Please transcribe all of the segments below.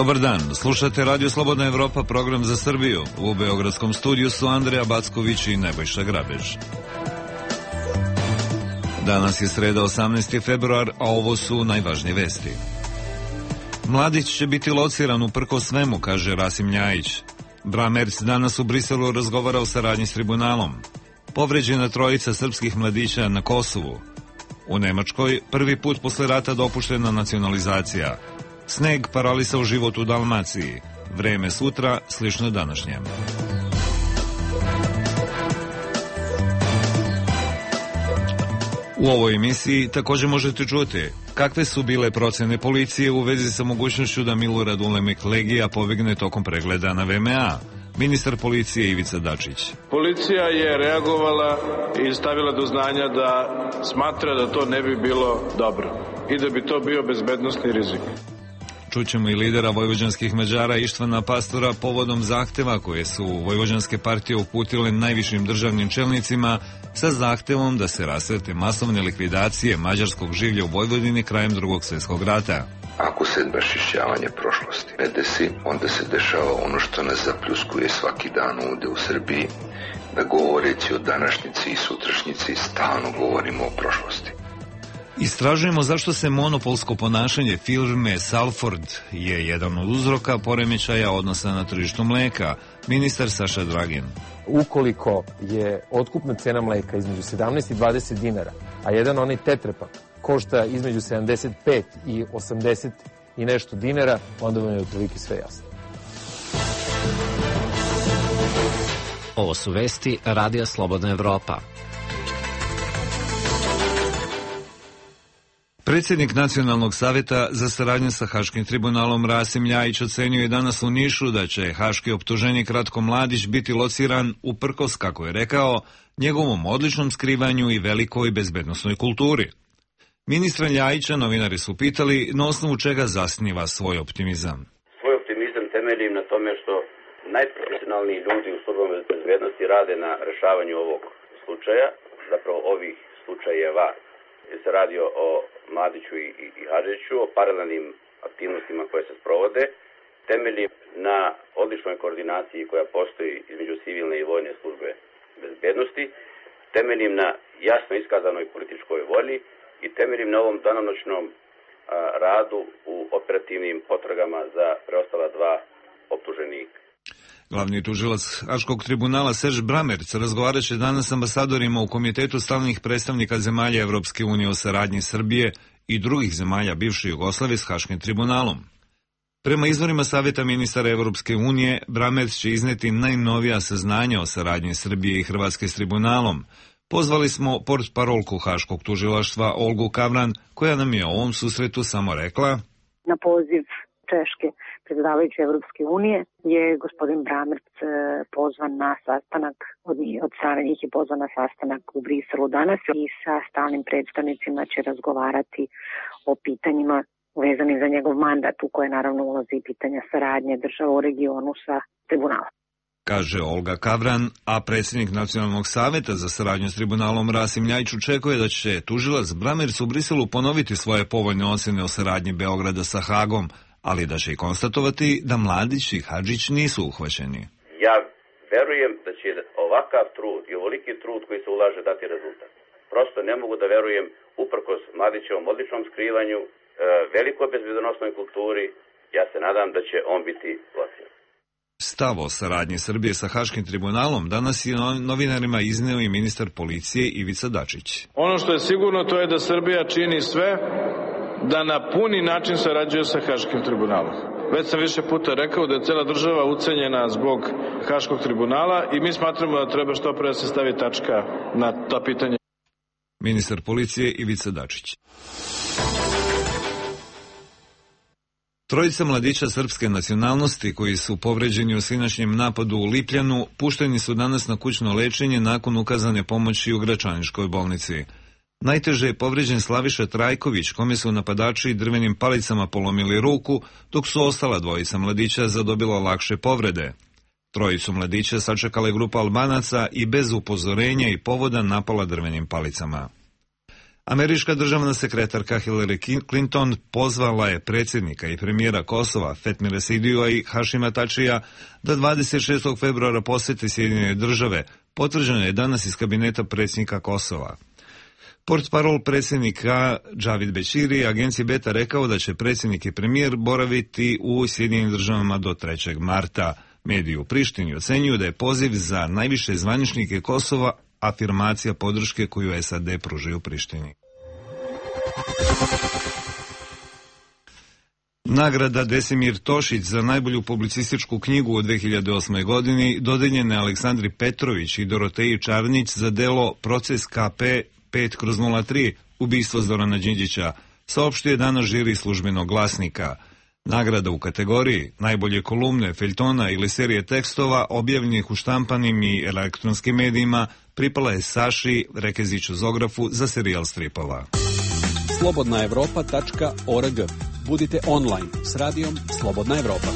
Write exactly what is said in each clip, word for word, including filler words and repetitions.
Dobar dan, slušate Radio Slobodna Evropa, program za Srbiju. U beogradskom studiju su Andreja Backović i Nebojša Grabež. Danas je sreda osamnaesti februar, a ovo su najvažnije vesti. Mladić će biti lociran uprkos svemu, kaže Rasim Ljajić. Bramerc danas u Briselu razgovara o saradnji s tribunalom. Povređena trojica srpskih mladića na Kosovu. U Nemačkoj prvi put posle rata dopuštena nacionalizacija. Sneg paralisao život u Dalmaciji. Vreme sutra slično današnjem. U ovoj emisiji također možete čuti kakve su bile procene policije u vezi sa mogućnošću da Milorad Ulemek Legija pobegne tokom pregleda na V M A. Ministar policije Ivica Dačić. Policija je reagovala i stavila do znanja da smatra da to ne bi bilo dobro i da bi to bio bezbednosni rizik. Čućemo i lidera vojvođanskih Mađara Ištvana Pastora povodom zahteva koje su vojvođanske partije uputile najvišim državnim čelnicima sa zahtevom da se rasvete masovne likvidacije mađarskog življa u Vojvodini krajem Drugog svjetskog rata. Ako se raščišćavanje prošlosti ne desi, onda se dešava ono što nas zapljuskuje svaki dan ovdje u Srbiji, da govoreći o današnjici i sutrašnjici stalno govorimo o prošlosti. Istražujemo zašto se monopolsko ponašanje firme Salford je jedan od uzroka poremećaja odnosa na tržištu mleka. Ministar Saša Dragin. Ukoliko je otkupna cena mleka između sedamnaest i dvadeset dinara, a jedan onaj tetrepak košta između sedamdeset pet i osamdeset i nešto dinara, onda vam je otprilike sve jasno. Ovo su vesti Radija Slobodna Evropa. Predsjednik Nacionalnog savjeta za saradnju sa Haškim tribunalom Rasim Ljajić ocenio je danas u Nišu da će haški optuženik Ratko Mladić biti lociran uprkos, kako je rekao, njegovom odličnom skrivanju i velikoj bezbednosnoj kulturi. Ministra Ljajića novinari su pitali na osnovu čega zasniva svoj optimizam. Svoj optimizam temeljim na tome što najprofesionalniji ljudi u službama bezbednosti rade na rešavanju ovog slučaja, zapravo ovih slučajeva. Se radi o Mladiću i, i, i Hadžiću, o paralelnim aktivnostima koje se sprovode, temelji na odličnoj koordinaciji koja postoji između civilne i vojne službe bezbednosti, temeljim na jasno iskazanoj političkoj volji i temeljim na ovom danonoćnom a, radu u operativnim potragama za preostala dva optuženika. Glavni tužilac Haškog tribunala Serž Bramerc razgovarat će danas s ambasadorima u Komitetu stalnih predstavnika zemalja Evropske unije o saradnji Srbije i drugih zemalja bivše Jugoslavije s Haškim tribunalom. Prema izvorima Savjeta ministara Evropske unije, Bramerc će izneti najnovija saznanja o saradnji Srbije i Hrvatske s tribunalom. Pozvali smo portparolku Haškog tužilaštva Olgu Kavran, koja nam je o ovom susretu samo rekla: Na poziv Češke predsjedavajuće Evropske unije je gospodin Bramerc pozvan na sastanak, od, od strane njih je pozvan na sastanak u Briselu danas i sa stalnim predstavnicima će razgovarati o pitanjima vezanim za njegov mandat, u koje naravno ulazi pitanja saradnje država u regionu sa tribunalom. Kaže Olga Kavran, a predsjednik Nacionalnog savjeta za saradnju s tribunalom Rasim Ljajić očekuje da će tužilac Bramerc u Briselu ponoviti svoje povoljne ocjene o saradnji Beograda sa Hagom, ali da će i konstatovati da Mladić i Hadžić nisu uhvaćeni. Ja verujem da će ovakav trud i ovoliki trud koji se ulaže dati rezultat. Prosto ne mogu da verujem, uprkos Mladićevom odličnom skrivanju, velikoj bezbednosnoj kulturi, ja se nadam da će on biti lociran. Stav o saradnji Srbije sa Haškim tribunalom danas je novinarima izneo i ministar policije Ivica Dačić. Ono što je sigurno to je da Srbija čini sve da na puni način sarađuje sa Haškim tribunalom. Već sam više puta rekao da je cela država ucenjena zbog Haškog tribunala i mi smatramo da treba što pre da se stavi tačka na ta pitanja. Ministar policije Ivica Dačić. Trojica mladića srpske nacionalnosti koji su povređeni u sinoćnjem napadu u Lipljanu pušteni su danas na kućno lečenje nakon ukazane pomoći u Gračaničkoj bolnici. Najteže je povređen Slaviša Trajković, kome su napadači drvenim palicama polomili ruku, dok su ostala dvojica mladića zadobila lakše povrede. Trojicu mladića sačekala je grupa Albanaca i bez upozorenja i povoda napala drvenim palicama. Američka državna sekretarka Hillary Clinton pozvala je predsjednika i premijera Kosova Fatmira Sidijua i Hašima Tačija da dvadeset šestog februara posjete Sjedinjene države, potvrđeno je danas iz kabineta predsjednika Kosova. Portparol predsjednika Džavid Bećiri agenciji Beta rekao da će predsjednik i premijer boraviti u Sjedinjenim državama do trećeg marta. Mediji u Prištini ocenjuju da je poziv za najviše zvaničnike Kosova afirmacija podrške koju S A D pružaju Prištini. Nagrada Desimir Tošić za najbolju publicističku knjigu u dve hiljade osmoj. godini dodeljena je Aleksandri Petrović i Doroteji Čarnić za delo Proces K P pet kroz nula tri, ubistvo Zorana Đinđića, saopštio je danas žiri Službenog glasnika. Nagrada u kategoriji najbolje kolumne, feljtona ili serije tekstova objavljenih u štampanim i elektronskim medijima pripala je Saši Rekeziću Zografu za serijal stripova. slobodna evropa tačka org. Budite online s radijom Slobodna Evropa.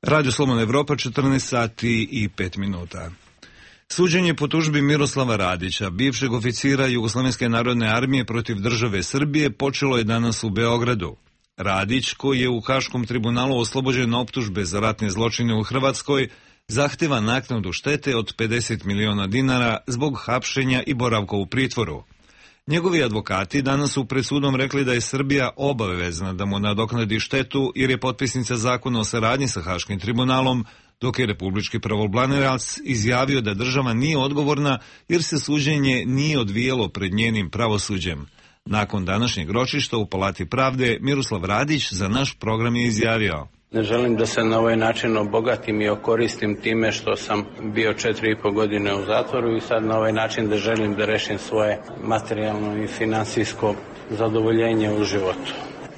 Radio Slobodna Evropa, četrnaest sati i pet minuta. Suđenje po tužbi Miroslava Radića, bivšeg oficira Jugoslovenske narodne armije protiv države Srbije, počelo je danas u Beogradu. Radić, koji je u Haškom tribunalu oslobođen optužbe za ratne zločine u Hrvatskoj, zahteva naknadu štete od pedeset miliona dinara zbog hapšenja i boravka u pritvoru. Njegovi advokati danas su pred sudom rekli da je Srbija obavezna da mu nadoknadi štetu jer je potpisnica zakona o saradnji sa Haškim tribunalom, dok je republički pravobranilac izjavio da država nije odgovorna jer se suđenje nije odvijelo pred njenim pravosuđem. Nakon današnjeg ročišta u Palati pravde, Miroslav Radić za naš program je izjavio: Ne želim da se na ovaj način obogatim i okoristim time što sam bio četiri i po godine u zatvoru i sad na ovaj način da želim da rešim svoje materijalno i finansijsko zadovoljenje u životu.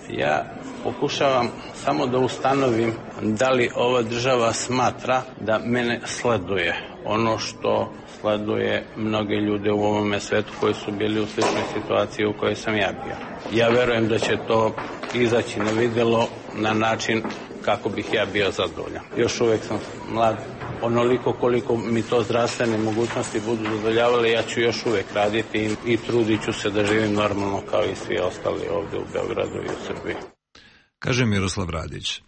Ja pokušavam samo da ustanovim da li ova država smatra da mene sleduje. Ono što sleduje mnoge ljude u ovome svetu koji su bili u sličnoj situaciji u kojoj sam ja bio. Ja verujem da će to izaći na videlo na način kako bih ja bio zadovoljan. Još uvek sam mlad, onoliko koliko mi to zdravstvene mogućnosti budu zadovoljavale, ja ću još uvek raditi i, i trudit ću se da živim normalno kao i svi ostali ovdje u Beogradu i u Srbiji. Kaže Miroslav Radić.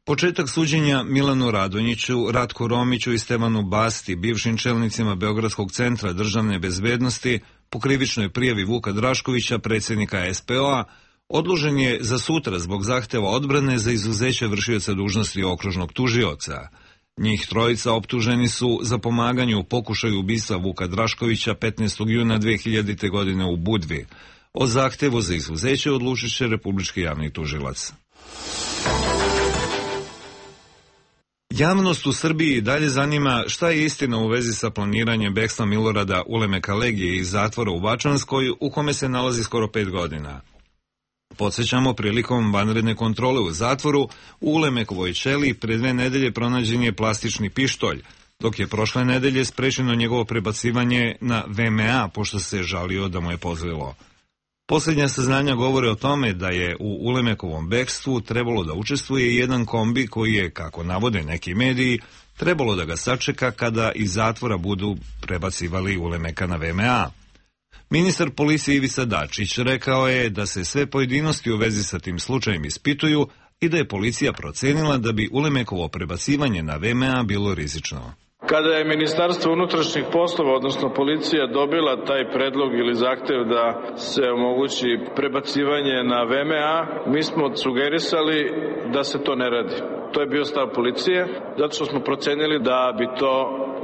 Početak suđenja Milanu Radonjiću, Ratku Romiću i Stevanu Basti, bivšim čelnicima Beogradskog centra državne bezbednosti, po krivičnoj prijavi Vuka Draškovića, predsjednika S P O-a, odložen je za sutra zbog zahteva odbrane za izuzeće vršioca dužnosti okružnog tužioca. Njih trojica optuženi su za pomaganje u pokušaju ubistva Vuka Draškovića petnaestog juna dve hiljadite. godine u Budvi. O zahtevu za izuzeće odlučit će Republički javni tužilac. Javnost u Srbiji dalje zanima šta je istina u vezi sa planiranjem bekstva Milorada Ulemeka Legije iz zatvora u Bačanskoj, u kome se nalazi skoro pet godina. Podsjećamo, prilikom vanredne kontrole u zatvoru, u Ulemekovoj ćeliji pre dve nedelje pronađen je plastični pištolj, dok je prošle nedelje sprečeno njegovo prebacivanje na V M A, pošto se žalio da mu je pozlilo. Posljednja saznanja govore o tome da je u Ulemekovom bekstvu trebalo da učestvuje jedan kombi koji je, kako navode neki mediji, trebalo da ga sačeka kada iz zatvora budu prebacivali Ulemeka na V M A. Ministar policije Ivica Dačić rekao je da se sve pojedinosti u vezi sa tim slučajem ispituju i da je policija procenila da bi Ulemekovo prebacivanje na V M A bilo rizično. Kada je Ministarstvo unutrašnjih poslova, odnosno policija, dobila taj predlog ili zahtev da se omogući prebacivanje na V M A, mi smo sugerisali da se to ne radi. To je bio stav policije, zato što smo procenili da bi to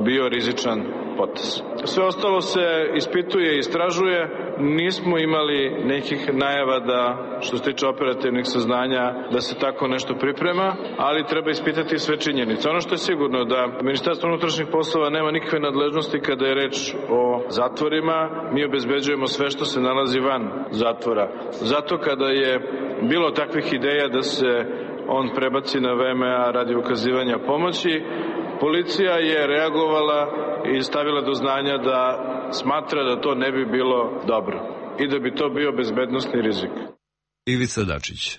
bio rizičan potez. Sve ostalo se ispituje i istražuje. Nismo imali nekih najava da, što se tiče operativnih saznanja, da se tako nešto priprema, ali treba ispitati sve činjenice. Ono što je sigurno da Ministarstvo unutrašnjih poslova nema nikakve nadležnosti kada je reč o zatvorima. Mi obezbeđujemo sve što se nalazi van zatvora. Zato kada je bilo takvih ideja da se on prebaci na V M A radi ukazivanja pomoći, policija je reagovala i stavila do znanja da smatra da to ne bi bilo dobro i da bi to bio bezbednosni rizik. Ivica Dačić.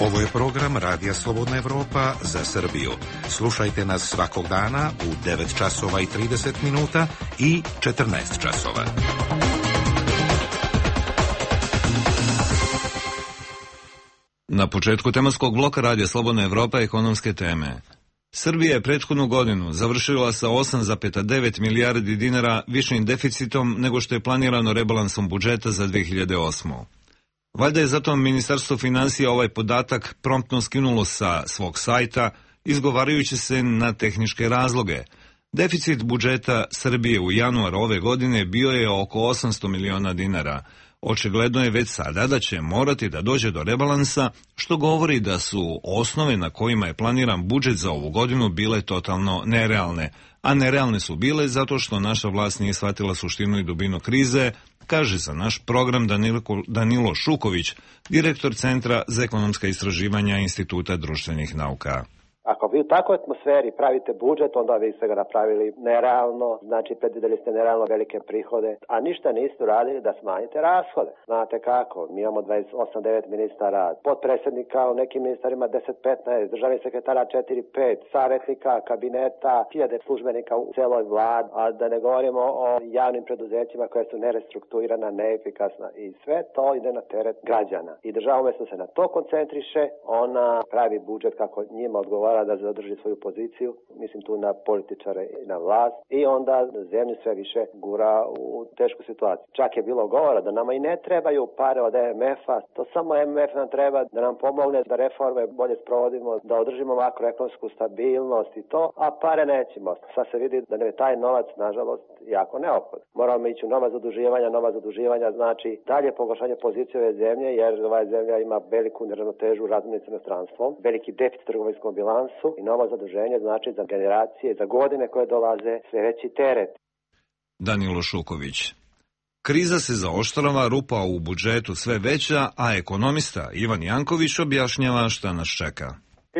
Ovo je program Radija Slobodna Evropa za Srbiju. Slušajte nas svakog dana u devet časova i trideset minuta i četrnaest časova. Na početku tematskog bloka Radija Slobodna Evropa ekonomske teme. Srbija je prethodnu godinu završila sa osam zarez devet milijardi dinara višim deficitom nego što je planirano rebalansom budžeta za dve hiljade osmu. Valjda je zato Ministarstvo finansija ovaj podatak promptno skinulo sa svog sajta, izgovarajući se na tehničke razloge. Deficit budžeta Srbije u januaru ove godine bio je oko osamsto miliona dinara. Očigledno je već sada da će morati da dođe do rebalansa, što govori da su osnove na kojima je planiran budžet za ovu godinu bile totalno nerealne, a nerealne su bile zato što naša vlast nije shvatila suštinu i dubinu krize, kaže za naš program Danilo, Danilo Šuković, direktor Centra za ekonomska istraživanja Instituta društvenih nauka. Ako vi u takvoj atmosferi pravite budžet, onda vi ste ga napravili nerealno, znači predvideli ste nerealno velike prihode, a ništa niste uradili da smanjite rashode. Znate kako, mi imamo dvadeset osam devet ministara, potpredsjednika u nekim ministarima deset petnaest, državnih sekretara četiri pet, savjetnika, kabineta, hiljade službenika u celoj vladi, a da ne govorimo o javnim preduzećima koje su nerestrukturirana, neefikasna i sve to ide na teret građana. I država umjesto se na to koncentriše, ona pravi budžet kako njima odgovara da zadrži svoju poziciju, mislim tu na političare i na vlast, i onda zemlju sve više gura u tešku situaciju. Čak je bilo govora da nama i ne trebaju pare od M F a, to samo M F nam treba da nam pomogne da reforme bolje sprovodimo, da održimo makroekonomsku stabilnost i to, a pare nećemo. Sad se vidi da je taj novac, nažalost, jako neophodan. Moramo ići u nova zaduživanja, nova zaduživanja znači dalje pogoršanje pozicije ove zemlje, jer ova zemlja ima veliku neravnotežu u razmjeni s inostranstvom, veliki deficit trgovinskom bilansu i novo zaduženje znači za generacije, za godine koje dolaze sve veći teret. Danilo Šuković. Kriza se zaoštrava, rupa u budžetu sve veća, a ekonomista Ivan Janković objašnjava šta nas čeka.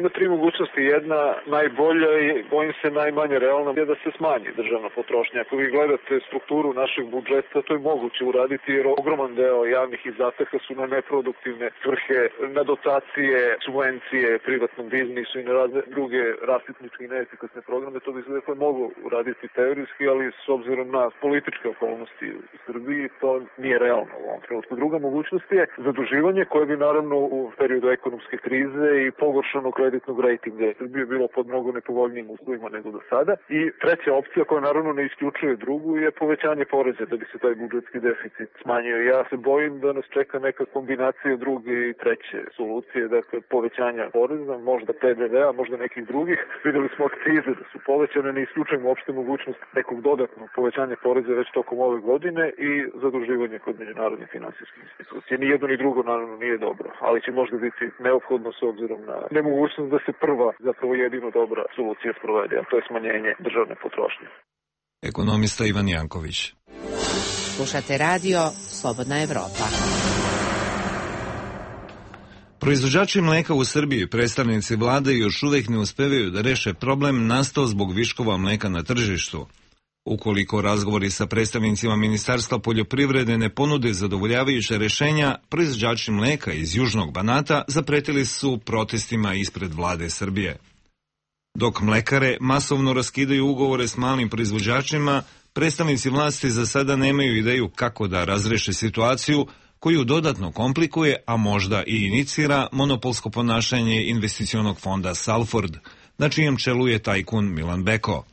Ima tri mogućnosti. Jedna najbolja i bojim se najmanje realna je da se smanji državna potrošnja. Ako vi gledate strukturu našeg budžeta, to je moguće uraditi jer ogroman deo javnih izdataka su na neproduktivne svrhe, na dotacije, subvencije privatnom biznisu i na razne druge rasipničke i neefikasne programe. To bi se dakle moglo uraditi teorijski, ali s obzirom na političke okolnosti u Srbiji to nije realno u ovom trenutku. Druga mogućnost je zaduživanje koje bi naravno u periodu ekonomske krize i pogoršanog kreditnog rejtinga Srbije bilo pod mnogo nepovoljnijim uslovima nego do sada. I treća opcija koja naravno ne isključuje drugu je povećanje poreza da bi se taj budžetski deficit smanjio. Ja se bojim da nas čeka neka kombinacija druge i treće solucije, dakle povećanja poreza, možda P D V-a, možda nekih drugih. Videli smo akcize da su povećane, ne isključujemo uopšte mogućnost nekog dodatnog povećanja poreza već tokom ove godine i zaduživanje kod međunarodnih finansijskih institucija. Ni jedno ni drugo naravno nije dobro, ali će možda biti neophodno s obzirom na nemogućnost da se prva, zapravo jedino dobra solucija sprovede, a to je smanjenje državne potrošnje. Ekonomista Ivan Janković. Slušate radio Slobodna Evropa. Proizvođači mleka u Srbiji, predstavnici vlade, još uvek ne uspevaju da reše problem nastao zbog viškova mleka na tržištu. Ukoliko razgovori sa predstavnicima Ministarstva poljoprivrede ne ponude zadovoljavajuće rešenja, proizvođači mleka iz Južnog Banata zapretili su protestima ispred vlade Srbije. Dok mlekare masovno raskidaju ugovore s malim proizvođačima, predstavnici vlasti za sada nemaju ideju kako da razreše situaciju koju dodatno komplikuje, a možda i inicira monopolsko ponašanje investicionog fonda Salford, na čijem čelu je tajkun Milan Beko.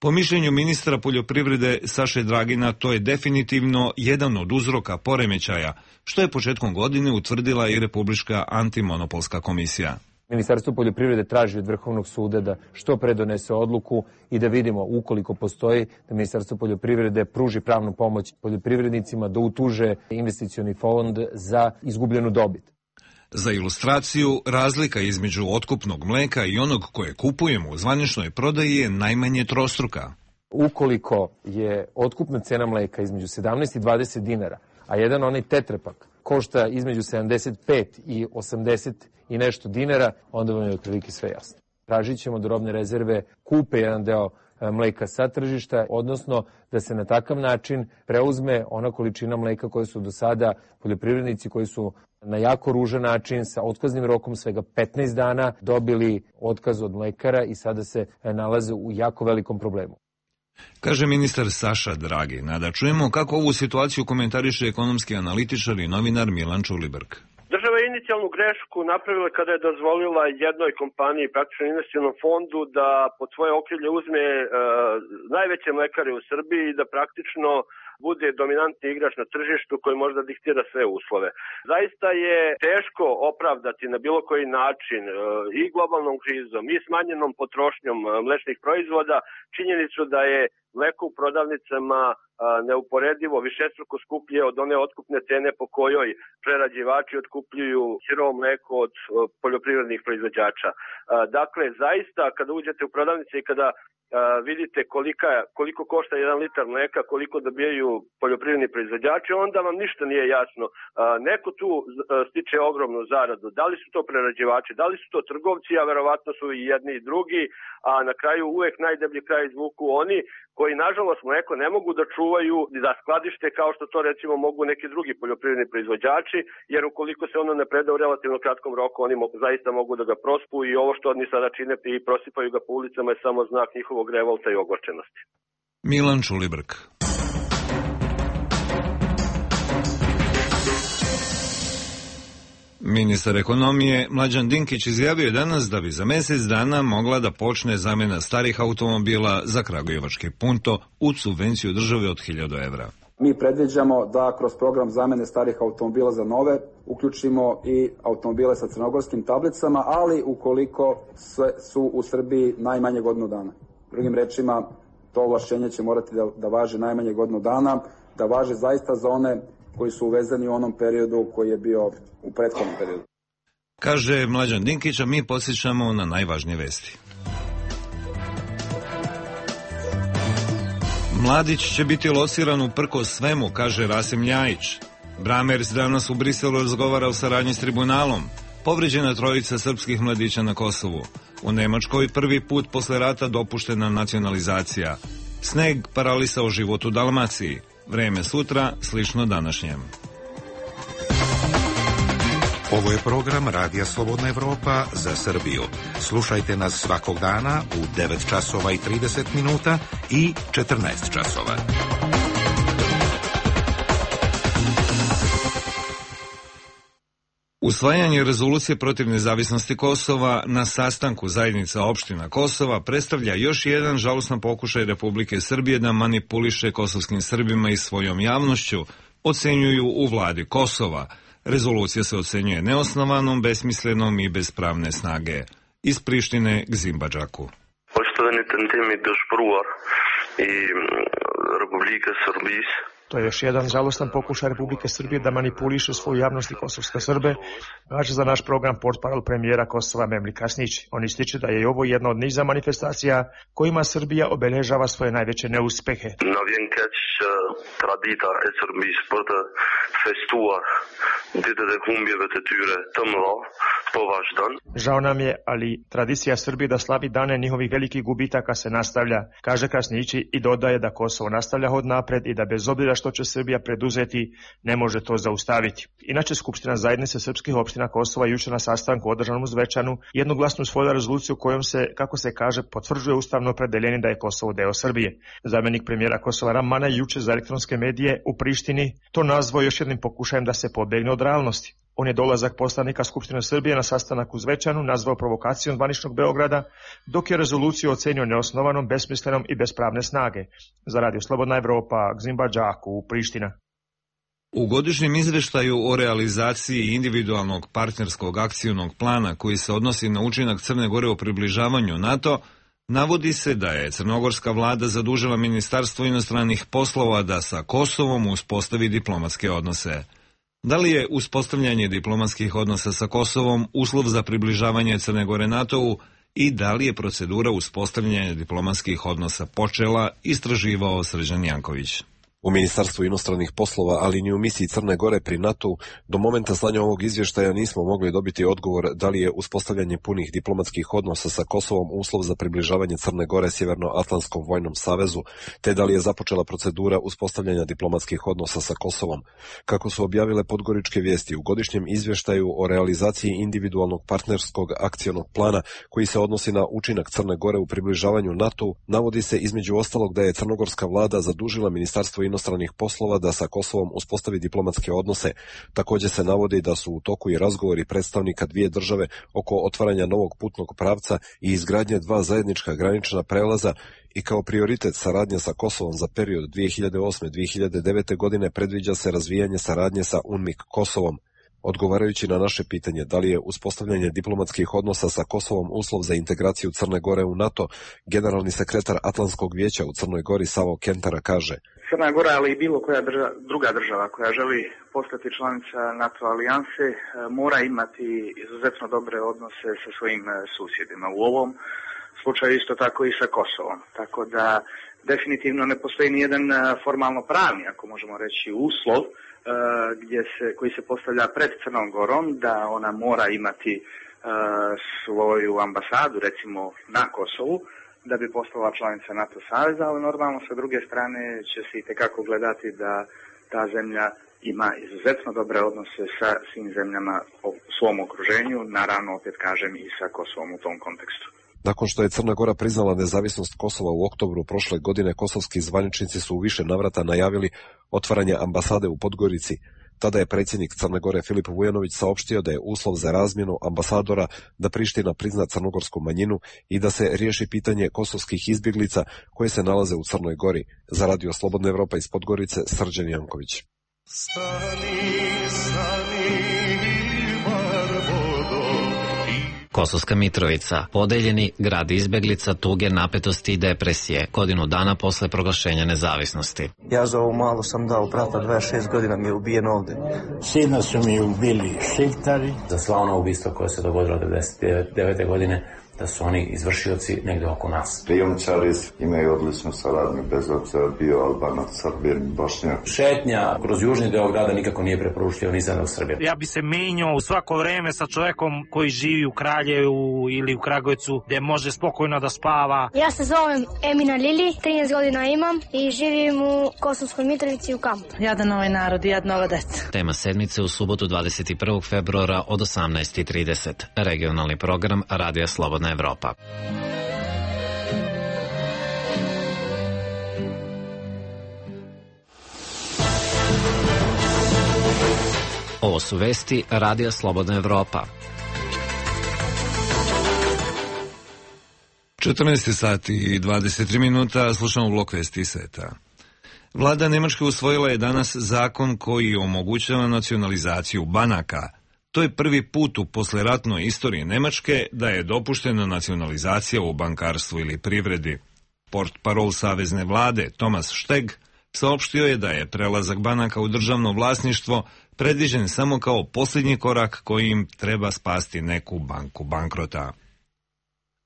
Po mišljenju ministra poljoprivrede Saše Dragina, to je definitivno jedan od uzroka poremećaja, što je početkom godine utvrdila i Republička antimonopolska komisija. Ministarstvo poljoprivrede traži od Vrhovnog suda da što pre donese odluku i da vidimo, ukoliko postoji, da Ministarstvo poljoprivrede pruži pravnu pomoć poljoprivrednicima da utuže investicioni fond za izgubljenu dobit. Za ilustraciju, razlika između otkupnog mleka i onog koje kupujemo u zvaničnoj prodaji je najmanje trostruka. Ukoliko je otkupna cena mleka između sedamnaest i dvadeset dinara, a jedan onaj tetrepak košta između sedamdeset pet i osamdeset i nešto dinara, onda vam je otprilike sve jasno. Tražit ćemo da robne rezerve kupe jedan deo mleka sa tržišta, odnosno da se na takav način preuzme ona količina mleka koje su do sada poljoprivrednici koji su na jako ružan način sa otkaznim rokom svega petnaest dana dobili otkaz od mlekara i sada se nalaze u jako velikom problemu. Kaže ministar Saša Dragin, da čujemo kako ovu situaciju komentariše ekonomski analitičar i novinar Milan Čulibrk. Država je inicijalnu grešku napravila kada je dozvolila jednoj kompaniji, praktično investicionom fondu, da pod svoje okrilje uzme uh, najveće mlekare u Srbiji i da praktično bude dominantni igrač na tržištu koji možda diktira sve uslove. Zaista je teško opravdati na bilo koji način uh, i globalnom krizom i smanjenom potrošnjom uh, mlečnih proizvoda činjenicu da je mleko u prodavnicama neuporedivo višestruko skuplje od one otkupne cene po kojoj prerađivači otkupljuju sirovo mleko od poljoprivrednih proizvođača. Dakle, zaista kada uđete u prodavnice i kada vidite kolika, koliko košta jedan litar mleka, koliko dobijaju poljoprivredni proizvođači, onda vam ništa nije jasno. Neko tu stiče ogromnu zaradu. Da li su to prerađivači, da li su to trgovci, a verovatno su i jedni i drugi, a na kraju uvek najdeblji kraj izvuku oni koji, nažalost, mleko ne mogu da čuvaju i da skladište kao što to recimo mogu neki drugi poljoprivredni proizvođači, jer ukoliko se ono ne preda u relativno kratkom roku, oni mogu, zaista mogu da ga prospu i ovo što oni sada čine i prosipaju ga po ulicama je samo znak njihovog revolta i ogorčenosti. Milan Čulibrk. Ministar ekonomije Mlađan Dinkić izjavio je danas da bi za mjesec dana mogla da počne zamjena starih automobila za kragujevački Punto uz subvenciju države od hiljadu evra. Mi predviđamo da kroz program zamjene starih automobila za nove uključimo i automobile sa crnogorskim tablicama, ali ukoliko su u Srbiji najmanje godinu dana. Drugim rečima, to ovlašćenje će morati da, da važi najmanje godinu dana, da važi zaista za one koji su uvezeni u onom periodu koji je bio u prethodnom periodu. Kaže Mlađan Dinkić, a mi podsjećamo na najvažnije vesti. Mladić će biti lociran uprkos svemu, kaže Rasim Ljajić. Bramerc danas u Briselu razgovara o saradnji s tribunalom. Povređena trojica srpskih mladića na Kosovu. U Nemačkoj prvi put posle rata dopuštena nacionalizacija. Sneg paralisao život u Dalmaciji. Vreme sutra slično današnjem. Ovo je program Radija Slobodna Evropa za Srbiju. Slušajte nas svakog dana u devet časova i trideset minuta i četrnaest časova. Usvajanje rezolucije protiv nezavisnosti Kosova na sastanku zajednica opština Kosova predstavlja još jedan žalostan pokušaj Republike Srbije da manipuliše kosovskim Srbima i svojom javnošću, ocenjuju u vladi Kosova. Rezolucija se ocenjuje neosnovanom, besmislenom i bez pravne snage. Iz Prištine k Zimbadžaku. Poštovani tantemi došpruar i Republike Srbije. To je još jedan žalostan pokušaj Republike Srbije da manipuliše svoju javnost i kosovske Srbe, kaže za naš program portparol premijera Kosova Memli Kasnić. On ističe da je i ovo jedna od niza manifestacija kojima Srbija obeležava svoje najveće neuspehe. Tradita e Srbiji sporta festuar dite de humbjeve te tyre tëmëdha po vazhdon. Žao nam je, ali tradicija Srbije da slavi dane njihovih velikih gubitaka se nastavlja, kaže Krasnići i dodaje da Kosovo nastavlja hod napred i da bez obzira što će Srbija preduzeti, ne može to zaustaviti. Inače, Skupština zajednice srpskih opština Kosova juče na sastanku održanom u Zvečanu jednoglasno usvojila rezoluciju kojom se, kako se kaže, potvrđuje ustavno opredeljenje da je Kosovo deo Srbije. Zamjenik premijera Kosova Ramana juče za elektronske medije u Prištini to nazvao još jednim pokušajem da se pobegne od realnosti. On je dolazak poslanika Skupštine Srbije na sastanak u Zvečanu nazvao provokacijom zvaničnog Beograda, dok je rezoluciju ocenio neosnovanom, besmislenom i bez pravne snage. Za Radio Slobodna Evropa, Zimbadžaku, u Priština. U godišnjem izveštaju o realizaciji individualnog partnerskog akcionog plana koji se odnosi na učinak Crne Gore u približavanju NATO, navodi se da je crnogorska vlada zadužila Ministarstvo inostranih poslova da sa Kosovom uspostavi diplomatske odnose. Da li je uspostavljanje diplomatskih odnosa sa Kosovom uslov za približavanje Crne Gore NATO-u i da li je procedura uspostavljanja diplomatskih odnosa počela, istraživao Srđan Janković. U Ministarstvu inostranih poslova, ali ni u misiji Crne Gore pri NATO-u, do momenta slanja ovog izvještaja nismo mogli dobiti odgovor da li je uspostavljanje punih diplomatskih odnosa sa Kosovom uslov za približavanje Crne Gore Sjevernoatlantskom vojnom savezu, te da li je započela procedura uspostavljanja diplomatskih odnosa sa Kosovom. Kako su objavile Podgoričke vijesti u godišnjem izvještaju o realizaciji individualnog partnerskog akcionog plana koji se odnosi na učinak Crne Gore u približavanju NATO-u, navodi se između ostalog da je crnogorska vlada zadužila Ministarstvo inostranih poslova da sa Kosovom uspostavi diplomatske odnose. Također se navodi da su u toku i razgovori predstavnika dvije države oko otvaranja novog putnog pravca i izgradnje dva zajednička granična prelaza i kao prioritet saradnja sa Kosovom za period dvije hiljade osme do dvije hiljade devete. godine predviđa se razvijanje saradnje sa UNMIK Kosovom. Odgovarajući na naše pitanje da li je uspostavljanje diplomatskih odnosa sa Kosovom uslov za integraciju Crne Gore u NATO, generalni sekretar Atlantskog vijeća u Crnoj Gori Savo Kentara kaže: Crna Gora, ali i bilo koja država, druga država koja želi postati članica NATO alijanse, mora imati izuzetno dobre odnose sa svojim susjedima. U ovom slučaju isto tako i sa Kosovom. Tako da definitivno ne postoji ni jedan formalno pravni, ako možemo reći, uslov gdje se, koji se postavlja pred Crnom Gorom da ona mora imati uh, svoju ambasadu recimo na Kosovu da bi postala članica NATO saveza, ali normalno sa druge strane će se itekako gledati da ta zemlja ima izuzetno dobre odnose sa svim zemljama u svom okruženju, naravno opet kažem i sa Kosovom u tom kontekstu. Nakon što je Crna Gora priznala nezavisnost Kosova u oktobru prošle godine, kosovski zvaničnici su u više navrata najavili otvaranje ambasade u Podgorici. Tada je predsjednik Crne Gore Filip Vujanović saopštio da je uslov za razmjenu ambasadora da Priština prizna crnogorsku manjinu i da se riješi pitanje kosovskih izbjeglica koje se nalaze u Crnoj Gori. Za Radio Slobodna Evropa iz Podgorice, Srđan Janković. Stani, stani. Kosovska Mitrovica, podeljeni grad izbeglica, tuge, napetosti i depresije, godinu dana posle proglašenja nezavisnosti. Ja za ovo malo sam dao brata, dvadeset šest godina mi je ubijen ovde. Sina su mi ubili šiptari. Za sva ona ubistva koja se dogodila devedeset devete. godine, da su oni izvršioci negde oko nas. Krijumčari imaju odličnu saradnju, bez obzira bio Albanac, Srbin, Bošnjak. Šetnja kroz južni deo grada nikako nije preporučljivo ni za Srbiju. Ja bi se menjao u svako vreme sa čovjekom koji živi u Kraljevu ili u Kragujevcu, gdje može spokojno da spava. Ja se zovem Emina Lili, trinaest godina imam i živim u Kosovskoj Mitrovici u kampu. Jadan ovaj narod i jadna ova deca. Tema sedmice u subotu dvadeset prvog februara od osamnaest i trideset. Regionalni program Radija Slobodna Evropa. Ovo su vesti Radija Slobodna Evropa. četrnaest sati i dvadeset tri minuta, slušamo blok vesti sveta. Vlada Nemačke usvojila je danas zakon koji omogućava nacionalizaciju banaka. To je prvi put u posleratnoj istoriji Nemačke da je dopuštena nacionalizacija u bankarstvu ili privredi. Portparol savezne vlade Thomas Steg saopštio je da je prelazak banaka u državno vlasništvo predviđen samo kao posljednji korak koji im treba spasti neku banku bankrota.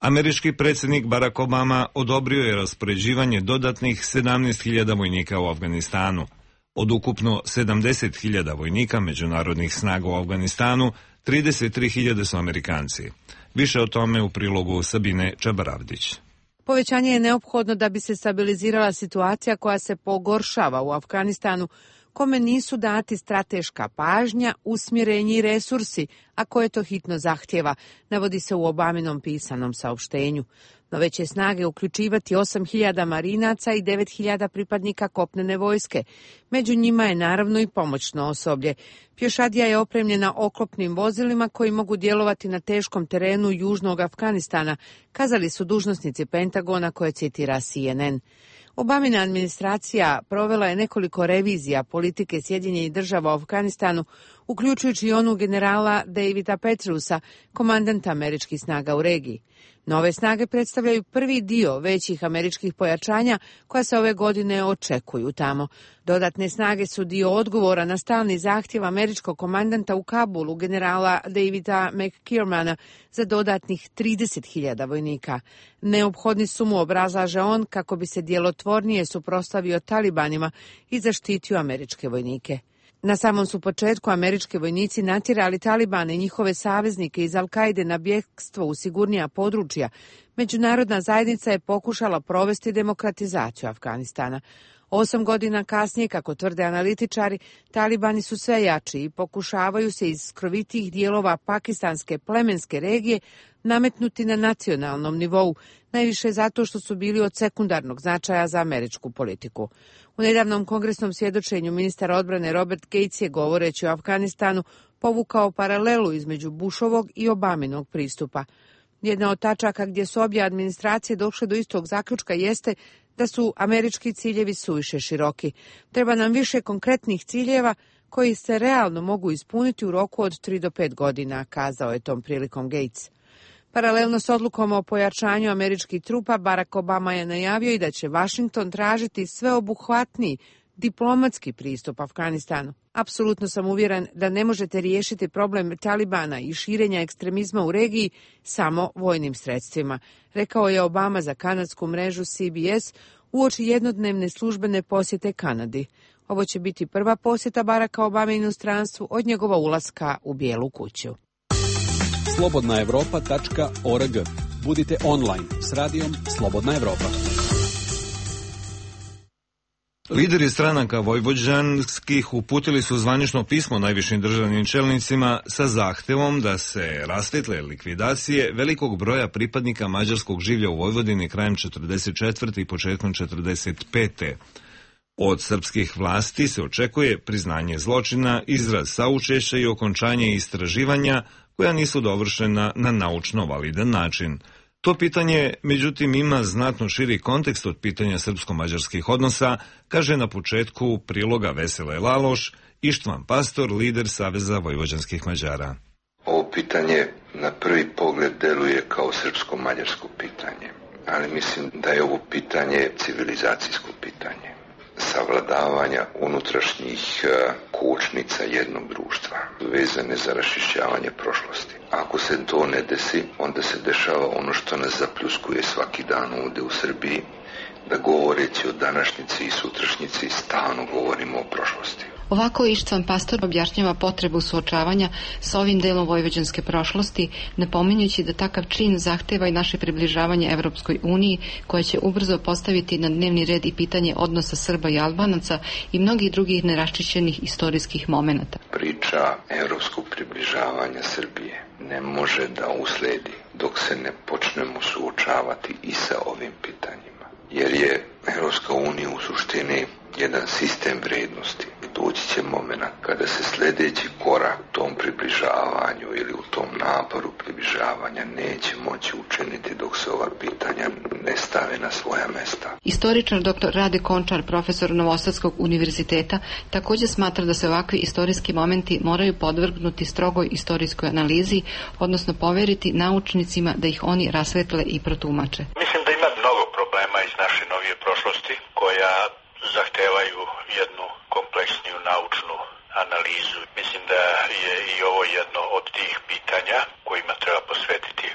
Američki predsjednik Barack Obama odobrio je raspoređivanje dodatnih sedamnaest hiljada vojnika u Afganistanu. Od ukupno sedamdeset hiljada vojnika međunarodnih snaga u Afganistanu, trideset tri hiljade su Amerikanci. Više o tome u prilogu Sabine Čabaravdić. Povećanje je neophodno da bi se stabilizirala situacija koja se pogoršava u Afganistanu, kome nisu dati strateška pažnja, usmjerenje i resursi, a koje to hitno zahtjeva, navodi se u Obaminom pisanom saopštenju. Nove će snage uključivati osam hiljada marinaca i devet hiljada pripadnika kopnene vojske. Među njima je naravno i pomoćno osoblje. Pješadija je opremljena oklopnim vozilima koji mogu djelovati na teškom terenu južnog Afganistana, kazali su dužnosnici Pentagona koje citira C N N. Obamina administracija provela je nekoliko revizija politike Sjedinjenih država u Afganistanu uključujući i onu generala Davida Petreusa, komandanta američkih snaga u regiji. Nove snage predstavljaju prvi dio većih američkih pojačanja koja se ove godine očekuju tamo. Dodatne snage su dio odgovora na stalni zahtjev američkog komandanta u Kabulu, generala Davida McKiermana, za dodatnih trideset hiljada vojnika. Neophodni su mu, obrazlaže on, kako bi se djelotvornije suprotstavio talibanima i zaštitio američke vojnike. Na samom su početku američki vojnici natjerali Talibane i njihove saveznike iz Al-Kaide na bjegstvo u sigurnija područja. Međunarodna zajednica je pokušala provesti demokratizaciju Afganistana. Osam godina kasnije, kako tvrde analitičari, Talibani su sve jači i pokušavaju se iz skrovitijih dijelova pakistanske plemenske regije nametnuti na nacionalnom nivou, najviše zato što su bili od sekundarnog značaja za američku politiku. U nedavnom kongresnom svjedočenju ministar odbrane Robert Gates je, govoreći o Afganistanu, povukao paralelu između Bushovog i Obaminog pristupa. Jedna od tačaka gdje su obje administracije došle do istog zaključka jeste da su američki ciljevi suviše široki. Treba nam više konkretnih ciljeva koji se realno mogu ispuniti u roku od tri do pet godina, kazao je tom prilikom Gates. Paralelno s odlukom o pojačanju američkih trupa, Barack Obama je najavio i da će Washington tražiti sveobuhvatniji diplomatski pristup Afganistanu. Apsolutno sam uvjeren da ne možete riješiti problem Talibana i širenja ekstremizma u regiji samo vojnim sredstvima, rekao je Obama za kanadsku mrežu C B S uoči jednodnevne službene posjete Kanadi. Ovo će biti prva posjeta Baracka Obame inostranstvu od njegova ulaska u Bijelu kuću. slobodna evropa tačka org. Budite online s radijom Slobodna Evropa. Lideri stranaka vojvođanskih uputili su zvanično pismo najvišim državnim čelnicima sa zahtevom da se rasvetle likvidacije velikog broja pripadnika mađarskog življa u Vojvodini krajem četrdeset četvrte i početkom četrdeset pete Od srpskih vlasti se očekuje priznanje zločina, izraz saučešća i okončanje istraživanja koja nisu dovršena na naučno validan način. To pitanje, međutim, ima znatno širi kontekst od pitanja srpsko-mađarskih odnosa, kaže na početku priloga Vesele Laloš, Ištvan Pastor, lider Saveza vojvođanskih Mađara. Ovo pitanje na prvi pogled deluje kao srpsko-mađarsko pitanje, ali mislim da je ovo pitanje civilizacijsko pitanje, savladavanja unutrašnjih kočnica jednog društva, vezane za raščišćavanje prošlosti. Ako se to ne desi, onda se dešava ono što nas zapljuskuje svaki dan ovdje u Srbiji, da govoreći o današnjici i sutrašnjici stalno govorimo o prošlosti. Ovako Ištvan Pastor objašnjava potrebu suočavanja sa ovim delom vojvođanske prošlosti, napominjući da takav čin zahteva i naše približavanje Evropskoj uniji, koja će ubrzo postaviti na dnevni red i pitanje odnosa Srba i Albanaca i mnogih drugih neraščišćenih istorijskih momenata. Priča evropskog približavanja Srbije ne može da usledi dok se ne počnemo suočavati i sa ovim pitanjima. Jer je Evropska unija u suštini jedan sistem vrednosti. Doći će moment kada se sljedeći korak u tom približavanju ili u tom naporu približavanja neće moći učiniti dok se ova pitanja ne stave na svoja mesta. Istoričar doktor Rade Končar, profesor Novosadskog univerziteta, također smatra da se ovakvi istorijski momenti moraju podvrgnuti strogoj istorijskoj analizi, odnosno poveriti naučnicima da ih oni rasvetle i protumače. Mislim da ima mnogo problema iz naše novije prošlosti koja zahtevaju jednu kompleksniju naučnu analizu. Mislim da je i ovo jedno od tih pitanja kojima treba posvetiti,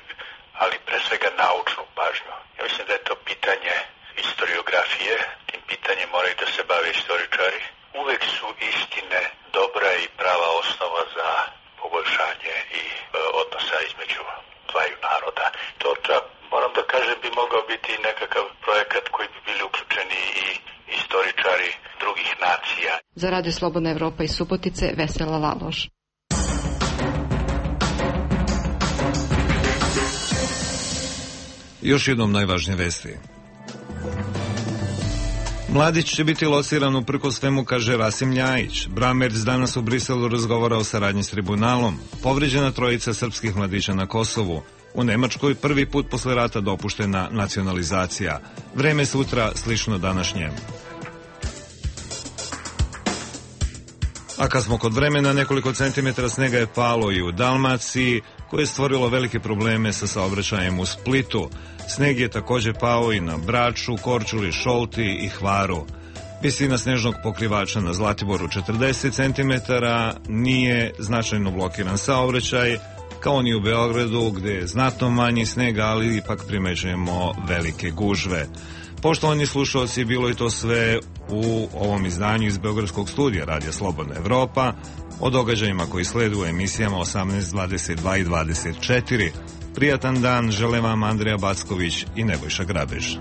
ali pre svega naučnu pažnju. Ja mislim da je to pitanje historiografije, tim pitanjem moraju da se bave istoričari. Uvek su istine dobra i prava osnova za poboljšanje i e, odnosa između dvaju naroda. To čak, moram da kažem, bi mogao biti nekakav projekat koji bi bili uključeni i istoričari drugih nacija. Za Radio Slobodna Evropa iz Subotice, Vesela Laloš. Još jednom najvažnije vesti. Mladić će biti lociran uprko svemu, kaže Rasim Ljajić. Bramerc danas u Briselu razgovara o saradnji s tribunalom. Povređena trojica srpskih mladića na Kosovu. U Nemačkoj prvi put posle rata dopuštena nacionalizacija. Vreme sutra slično današnjem. A kad smo kod vremena, nekoliko centimetara snega je palo i u Dalmaciji, koje je stvorilo velike probleme sa saobraćajem u Splitu. Sneg je također pao i na Braču, Korčuli, Šolti i Hvaru. Visina snežnog pokrivača na Zlatiboru četrdeset centimetara, nije značajno blokiran saobraćaj, kao ni u Beogradu gdje je znatno manji snega, ali ipak primećujemo velike gužve. Poštovani slušalci, bilo je to sve u ovom izdanju iz Beogradskog studija Radija Slobodna Evropa, o događajima koji sledu u emisijama osamnaest, dvadeset dva i dvadeset četiri. Prijatan dan žele vam Andreja Backović i Nebojša Grabež.